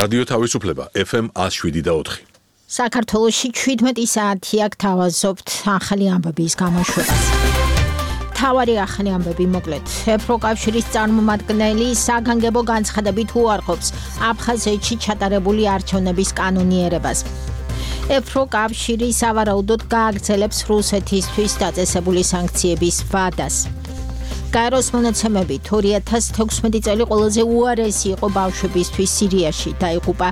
რადიო თავისუფლება FM 107.4. საქართველოში 17 საათი აქ თავაზობთ ახალი ამბების გამოშვებას. თავარი ახალი ამბები მოკლედ. ევროკავშირის წარმომადგენელი საგანგებო განცხადებით უარყოფს აფხაზეთში ჩატარებული არჩევნების კანონიერებას. ევროკავშირი სავარაუდოდ გააგრძელებს რუსეთისთვის დაწესებული სანქციების ვადას. გაეროს მონაცემებით 2016 წელი ყველაზე უარესი იყო ბავშვებისთვის სირიაში, დაიღუპა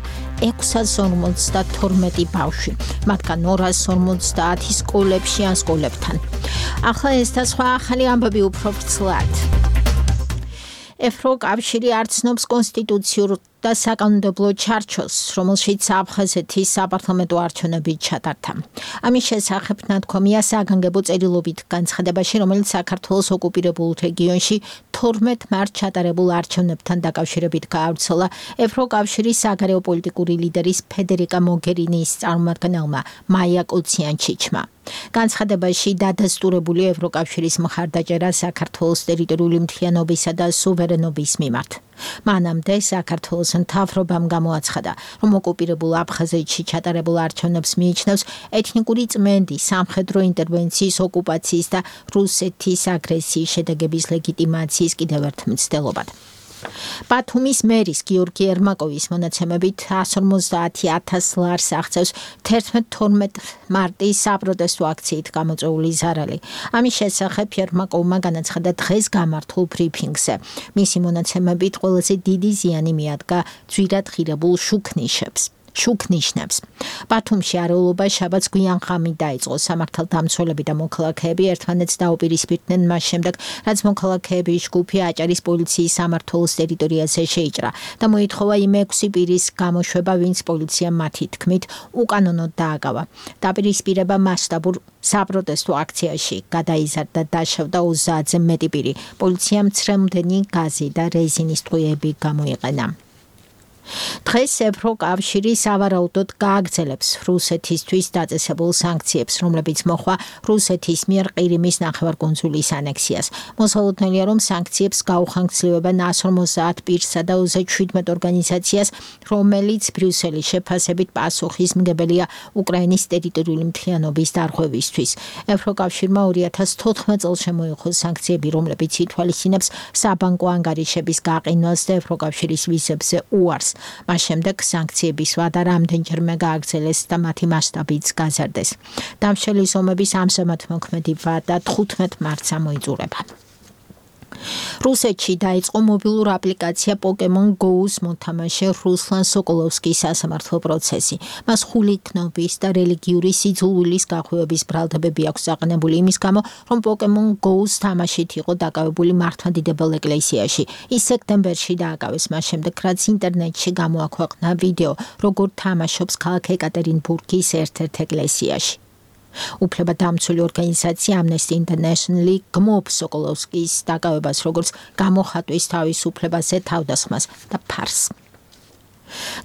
652 ბავშვი, მათგან 250 სკოლებში ან სკოლებთან. ახლა ეს და სხვა ახალი ამბები უფრო ვრცლად. ევროკავშირი არ ცნობს კონსტიტუციურ და საკანონმდებლო ჩარჩოს, რომელშიც აფხაზეთის საპარლამენტო არჩევნები ჩატარდა. ამის შესახებ ნათქვამია საგანგებო წერილობით განცხადებაში, რომელიც საქართველოს ოკუპირებულ რეგიონში 12 მარტს ჩატარებულ არჩევნებთან დაკავშირებით გაავრცელა ევროკავშირის საგარეო პოლიტიკური ლიდერის ფედერიკა მოგერინის წარმომადგენელმა მაია კოციანჩიჩმა. განცხადებაში დადასტურებული ევროკავშირის მხარდაჭერა საქართველოს ტერიტორიული მთლიანობისა და სუვერენობის მიმართ. მანამდე საქართველოს მთავრობამ გამოაცხადა, რომ ოკუპირებულ აფხაზეთში ჩატარებულ არჩევნებს მიიჩნევს ეთნიკური წმენდი, სამხედრო ინტერვენციის, ოკუპაციის და რუსეთის აგრესიის შედეგების ლეგიტიმაციის კიდევ ერთ მცდელობად. ბათუმის მერის გიორგი ერმაკოვის მონაცემებით 150,000 ლარს აღწევს 11-12 მარტის საპროტესტო აქციით გამოწვეული ზარალი. ამის შესახებ ერმაკოვმა განაცხადა დღეს გამართულ ბრიფინგზე. მისი მონაცემებით ყველაზე დიდი ზიანი მიადგა ძვირად ღირებულ შუქნიშნებს. ბათუმში არეულობა შაბათს გვიან ღამით დაიწყო. სამართალდამცველები და მოქალაქეები ერთმანეთს დაუპირისპირდნენ მას შემდეგ, რაც მოქალაქეების ჯგუფი აჭარის პოლიციის სამმართველოს ტერიტორიაზე შეიჭრა და მოითხოვა იმ 6 პირის გამოშვება, ვინც პოლიციამ მათი თქმით უკანონოდ დააგავა. დაპირისპირება მასშტაბურ საპროტესტო აქციაში გადაიზარდა და დაშავდა 30-ზე მეტი პირი. პოლიციამ ცრემლდენი გაზი და რეზინის ტყვიები გამოიყენა. დღეს ევროკავშირი სავარაუდოდ გააგრძელებს რუსეთისთვის დაწესებულ სანქციებს, რომლებიც მოხვა რუსეთის მიერ ყირიმის ნახევარკუნძულის ანექსიას. მოსალოდნელია, რომ სანქციებს გაუხანგრძლივებენ 150 პირსა და 17 ორგანიზაციას, რომელიც ბრიუსელის შეფასებით პასუხისმგებელია უკრაინის ტერიტორიული მთლიანობის დარღვევისთვის. ევროკავშირმა 2014 წელს შემოიღო სანქციები, რომლებიც ითვალისწინებს საბანკო ანგარიშების გაყინვას და ევროკავშირის ვიზებზე უარს. მას შემდეგ სანქციების ვადა რამდენჯერმე გააგრძელეს და მათი მასშტაბიც გაზარდეს. დამშელი ომების ამჟამად მოქმედი ვადა 15 მარტს მოიწურება. რუსეთში დაიწყო მობილურ აპლიკაცია Pokemon Go-ს მოთამაშე რუსლან სოკოლოვსკის სასამართლო პროცესი. მას ხულიკნობის და რელიგიური სიძულვილის გახვევების ბრალდებები აქვს აყენებული იმის გამო, რომ Pokemon Go-ს თამაშით იყო დაკავებული მართლმადიდებელ ეკლესიაში. ის სექტემბერში დააკავეს მას შემდეგ, რაც ინტერნეტში გამოაქვეყნა ვიდეო, როგორ თამაშობს ქალაქ ეკატერინბურგის ერთ-ერთ ეკლესიაში. უფლებადამცველი ორგანიზაცია Amnesty International გმობს სოკოლოვსკის დაკავებას, როგორც გამოხატვის თავისუფლებაზე თავდასხმას და ფარს.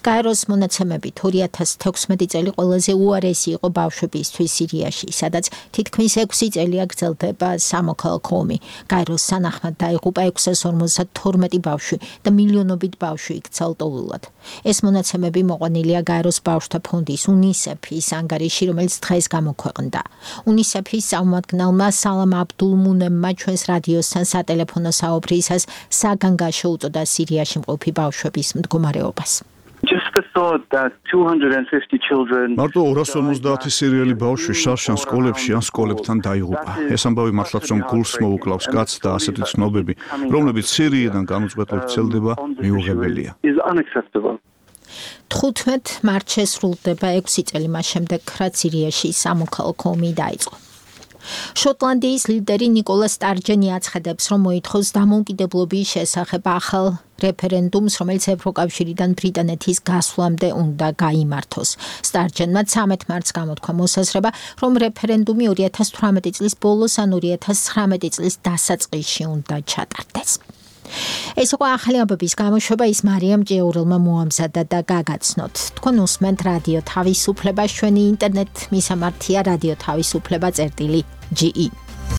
გაეროს მონაცემებით 2016 წელი ყველაზე უარესი იყო ბავშვებისთვის სირიაში, სადაც თითქმის 6 წელია გრძელდება სამოქალაქო ომი. გაეროს სანახმად დაიღუპა 652 ბავშვი და მილიონობით ბავშვი იქცა ლტოლვილად. ეს მონაცემები მოყვანილია გაეროს ბავშვთა ფონდის UNICEF-ის ანგარიში, რომელიც დღეს გამოქვეყნდა. UNICEF-ის წარმომადგენელმა სალამ აბდულმუნემმა ჩვენს რადიოსთან სატელეფონო საუბრისას საგანგაშო უწოდა სირიაში მყოფი ბავშვების მდგომარეობას. მარტო 250 სირიელი ბავშვი შარშან სკოლებში ან სკოლებთან დაიღუპა. ეს ამბავი მართლაც რომ გულს მოუკლავს კაცს და ასეთი ცნობები, რომლებიც სირიიდან განუწყვეტლად ვრცელდება, მიუღებელია. 15 მარტს შესრულდება 6 წელი მას შემდეგ, რაც სირიაში სამოქალაქო ომი დაიწყო. შოტლანდიის ლიდერი ნიკოლა სტარჯენი აცხადებს, რომ მოითხოვს დამოუკიდებლობის შესახებ ახალ რეფერენდუმს, რომელიც ევროკავშირიდან ბრიტანეთის გასვლამდე უნდა გაიმართოს. სტარჯენმა 13 მარტს გამოთქვა მოსაზრება, რომ რეფერენდუმი 2018 წლის ბოლოს ან 2019 წლის დასაწყისში უნდა ჩატარდეს. ეს იყო ახალი ამბების გამოშვება, ის მარიამ ჭიაურელმა მოამზადა და გაგაცნოთ. თქვენ უსმენთ რადიო თავისუფლებას, ჩვენი ინტერნეტ მისამართია რადიო თავისუფლება.ge